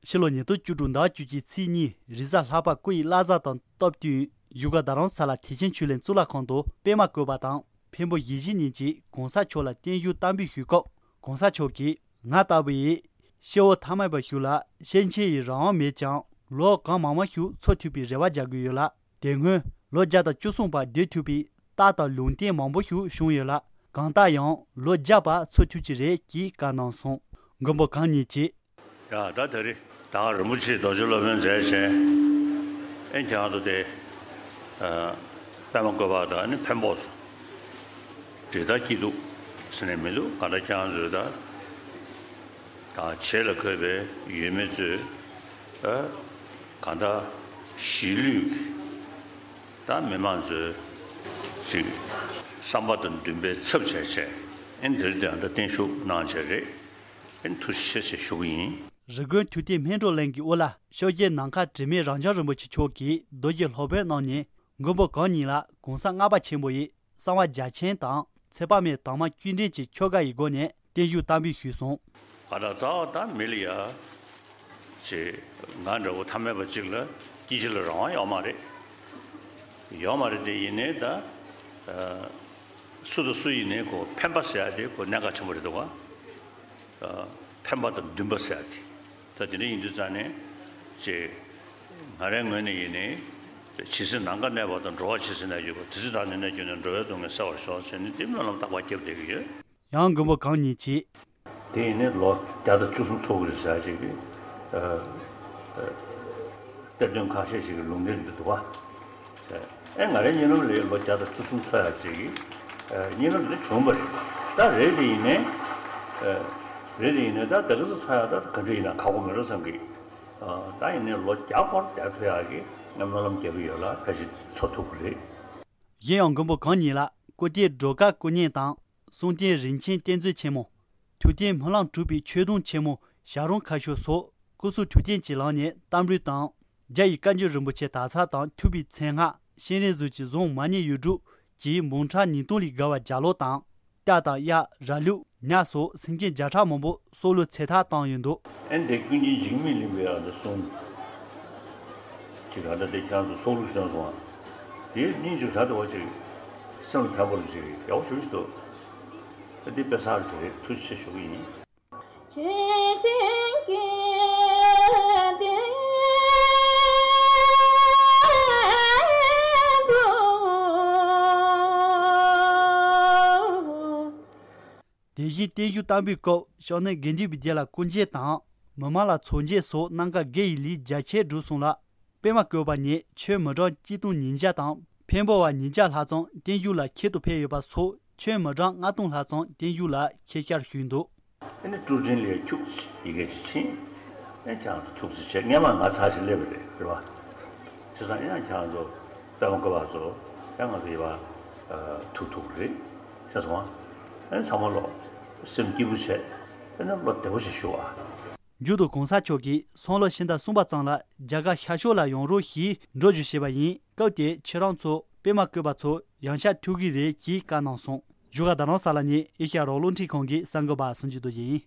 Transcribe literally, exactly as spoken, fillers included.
ཕྱི་ལོ་ཉིས་སྟོང་བཅུ་དྲུག་ཟླ་བ་བཅུ་གཅིག་ཚེས་གཉིས་རེས་གཟའ་ལྷག་པ་སྐུ་ཡི་བླ་གཟའ་དང་སྟབས་བསྟུན་བཞུགས་སྒར་རྡ་རམ་ས་ལ་ཐེག་ཆེན་ཆོས་གླིང་གཙུག་ལག་ཁང་དུ་པད་མ་བཀོད་པ་དང་འཕན་པོ་ཞེ་བཞི་གཉིས་ཀྱིས་གོང་ས་མཆོག་ལ་བརྟན་བཞུགས་བསྟར་འབུལ་ཞུས་སྐབས་གོང་ས་མཆོག་གིས། ང་ལྟ་བུ་ཡིས་སྐྱེ་བོ་ཐ་མལ་པ་ཞིག་ལ་སེམས་ཅན་ཡི་རང་དབང་མེད་ཀྱང་ལོ་གང་མང་མང་ཞིག་འཚོ་ཐུབ་པའི་རེ་བ་རྒྱག་གི་ཡོད་ལ། དེ་སྔོན་ལོ་བརྒྱ་དང་བཅུ་གསུམ་བར་སྡོད་ཐུབ་པའི་རྟགས་དང་ལུང་བསྟན་མང་པོ་ཞིག་བྱུང་ཡོད་ལ། གང་ལྟར་ཡང་ལོ་བརྒྱ་བར་འཚོ་ཐུབ་ཀྱི་རེད་ཅེས་བཀའ་གནང་སོང་། མགོན་པོ་གང་ཉིད་ཀྱིས། ཡ་ད་ད་རེས་ད་ག་རིན་པོ་ཆེའི་རྡོ་རྗེ་སློབ་དཔོན་མཛད་བྱས་ཨེ་ཁྱེད་རང་ཚོ་དེ་པད་མ་བཀོད་པ་དང་ནི་འཕན་པོ་སོ་འབྲི་ད་སྐྱིད་སྡུག་ཟེར་ནས་མི་འདུག་གང་ལྟར་ཁྱེད་རང་ཚོས་ད། དང་བྱེད་ལ་འཁོད་པའི་ཡུལ་མི་ཚོས་ཨ་གང་ལྟར་གཞིས་ལུས་ཀྱི་ད་མི་མང་ཚོའི་ཅིག་བསམ་པ་དང་འདུན་པའི་ཚབ་བྱས་བྱས་ཨེ་འདིར་དེ་ད་བརྟན་བཞུགས་གནང་བྱས་རེད། ཨེ་ཐུགས་རྗེ་ཆེ་ཞེས་ཞུ་གི་ཡིན། རི་ཀོན་ཐུབ་བསྟན་སྨིན་གྲོལ་གླིང་གི་དབུ་བླ་ཤོ་རྒྱལ་ནམ་མཁའ་དྲི་མེད་རབ་འབྱམས་རིན་པོ་ཆེ་མཆོག་གིས་རྡོ་རྗེ་སློབ་དཔོན་གནང་ནས་མགོན་པོ་གང་ཉིད་ལ་གོང་ས་ལྔ་པ་ཆེན་པོ་ཡི་གསང་བ་རྒྱ་ཆེན་དང་ཚེ་དཔག་མེད་དྭངས་མ་བཅུད་ལྡན་གྱི་ཆོ་ག་ཡི་སྒོ་ནས་བརྟན་བཞུགས་བསྟར་འབུལ་ཞུས་སོང་། ག་ད་རྩ་བ་ད་མི་ལ་ཡ། ཅེས་ང་འདྲ་བོ་ཐ་མལ་པ་གཅིག་ལ་སྐྱེ་འཆི་ལ་རང་དབང་ཡོད་མ་རེད། ཡོད་མ་རེད་དེ་ཡིན་ནའི་ད། སུ་དང་སུ་ཡིན་ནའི་ཁོ་ཕན་པ་ཟེར་ཡ་དེ་ཁོ་གནད་འགག་ཆེན་པོ་རེད་འདུག་ག་ཕན་པ་དང་འདུན་པ་ཟེར་ཡ་དེ། ད་དེ་འདྲ་ཡིན་དུས་ཙང་ནས་ཅེས། ང་རའི་ངོས་ནས་ཡིན་ནའི། ཇི་སྲིད་ནམ་མཁའ་གནས་པ་དང་། འགྲོ་བ་ཇི་སྲིད་ན་ཡོད་པ། དེ་སྲིད་བདག་ནི་གནས་གྱུར་ནས། འགྲོ་བའི་སྡུག་བསྔལ་སེལ་བར་ཤོག་ཅེས་ནི་དེ་སྨོན་ལམ་རྟག་པར་བརྒྱབ་བསྡད་ཀྱི་ཡོད། ཡང་མགོན་པོ་གང་ཉིད་ཀྱིས། དེ་ཡིན་ནའི་ལོ་བརྒྱ་དང་བཅུ་གསུམ་འཚོ་གི་རེད་ཟེར་ཅིག་གིས། གཏེར་སྟོན་ཁ་ཤས་ཤིག་གིས་ལུང་བསྟན་འདི་འདུག་བ། ཨེ་ང་རའི་གཉིད་ལམ་ལ་ལོ་བརྒྱ་དང་བཅུ་གསུམ་འཚོ་ཡག་ཅིག་གིས། གཉིད་ལམ་འདི་བྱུང་བ་རེད། ད་རེད་དེ་ཡིན་ནའི། རེད་དེ་ཡིན་ནའི་ད་ད་ག་ཚོད་འཚོ་ཡག་ད་ག་འདྲ་ཡིན་ན་ཁག་པོ་མེད་འགྲོ་བསམ་གི། ད་ཡིན་ནའི་ལོ་བརྒྱ་སྐོར་བསྡད་ཐུབ་ཡག་གི་ང་སྨོན་ལམ་རྒྱག་གི་ཡོད་ལ་ཕལ་ཆེར་འཚོ་ཐུབ་ཀྱི་རེད། གཞན་ཡང་མགོན་པོ་གང་ཉིད་ལ་སྐུ་རྟེན་སྒྲོལ་དཀར་སྐུ་བརྙན་དང་། གསུང་རྟེན་རིན་ཆེན་གཏེར་མཛོད་ཆེན་མོ། ཐུབ་བསྟན་སྨོན་ལམ་གྲུབ་པའི་ཆོས་དུང་ཆེན་མོ་ཞལ་རོང་ཁ་ཤོར་སོགས་སྐུ་གསུང་ཐུགས་རྟེན་གྱི་ལམ་ནས་བསྟར་འབུལ་དང་། རྒྱ་ཡི་བཀའ་འགྱུར་རིན་པོ་ཆེ་དག་ཚར་དང་ཐུབ་པའི་མཚན་སྔགས་ཤེས་རིག་གཟུགས་ཀྱི་བཟུང་མ་ཎི་ཡིག་དྲུག་གི་འབུམ་ཕྲག་ཉིས་སྟོང་ལས་བརྒལ་བ་རྒྱ་ལོ་དང་། རྟ་དང་གཡག་ར་ལུག་ཉ་སོགས་སེམས་ཅན་བརྒྱ་ཕྲག་མང་པོ་སྲོག་བླུ་ཚེ་ཐར་བཏང་ཡོད་འདུག་ཨེ་འདི་ཀུན་མཁྱེན་འཇིགས་མེད་གླིང་པས་ཨ་འདི་གསུངས། ཅིག་ཨ་འདྲ་དེ་ཁྱེད་ཚོ་སྲོག་བླུ་སོན་སོང་ཨ། དེའི་སྙིང་རྗེ་ད་དེ་བ་ཅིག་སེམས་ལ་ཕན་པོ་ལ་ཅིག་ཡག་པོ་ཞིག་འདུག་ཨ་འདི་དཔེ་བཟང་རེད། ཐུགས་རྗེ་ཆེ་ཞུ་གི་ཡིན། དེ་བཞིན་བརྟན་བཞུགས་བསྟར་འབུལ་སྐབས་ཤོག་ནི་དགེ་འདུན་པའི་སྡེ་ལ་སྐུ་མཇལ་དང་། མི་མང་ལ་ཚོགས་མཇལ་སོགས་གནང་སྐབས་དགེ་ཡི་ལས་རྒྱ་ཆེར་བསྒྲུབས་སོང་ལ། པད་མ་བཀོད་པ་ནས་ཆོས་མི་གྲངས་གཅིག་སྟོང་ཉིས་བརྒྱ་དང་འཕན་པོ་བ་ཉིས་བརྒྱ་ལྷག་ཙམ་བརྟན་བཞུགས་ལ་ཁྱད་དུ་འཕེལ་ཡོད་པ་སོགས་ཆོས་མི་གྲངས་ལྔ་སྟོང་ལྷག་ཙམ་བརྟན་བཞུགས་ལ་ཆེད་བཅར་ཞུས་འདུག་ཨ་ནི་ཀྲུའུ་ཅིན་ལས་ཁྱུག་ཡི་གེ་ཅིག་ཕྱིན། ཨེ་ཁྱེད་རང་ཚོ་ཐུགས་རྗེ་ཆེ། སྔས་མ་ང་ཚར་ཞིག་སླེབས་པ་རེད། རེད་བ། བྱས་ཙང་ཨེ་ཡང་ཁྱེད་རང་ཚོ་པད་མ་བཀོད་པ་ཚོ་ཨེ་ང་ཚོ་ཡི་བ་ཐུག་ཐུག་རེད། ཤེས་སོང་ཨ། ཨེ་ཚང་མ་ལོ་སེམས་སྐྱིད་པོ་བྱས། ཨེ་ནི་བློ་བདེ་པོ་ཞིག་ཞུ་ཨ། མཇུག་ཏུ་གོང་ས་མཆོག་གིས་སང་ལོ་ཕྱི་ཟླ་གསུམ་པ་ཙམ་ལ་རྒྱ་གར་ཤར་ཕྱོགས་ལ་ཡོང་རོགས་ཞེས་འགྲོ་རྒྱུ་བྱས་པ་ཡིན། སྐབས་དེར་ཁྱེད་རང་ཚོ་པད་མ་བཀོད་པ་ཚོ་ཡང་བསྐྱར་ཐུག་གི་རེད་ཅེས་བཀའ་གནང་སོང་། བཞུགས་སྒར་རྡ་རམ་ས་ལ་ནས་ཨེ་ཤ་ཡ་རང་དབང་རླུང་འཕྲིན་ཁང་གི་གསར་འགོད་པ་སུན་ཅི་རྡོ་རྗེ་ཡིན།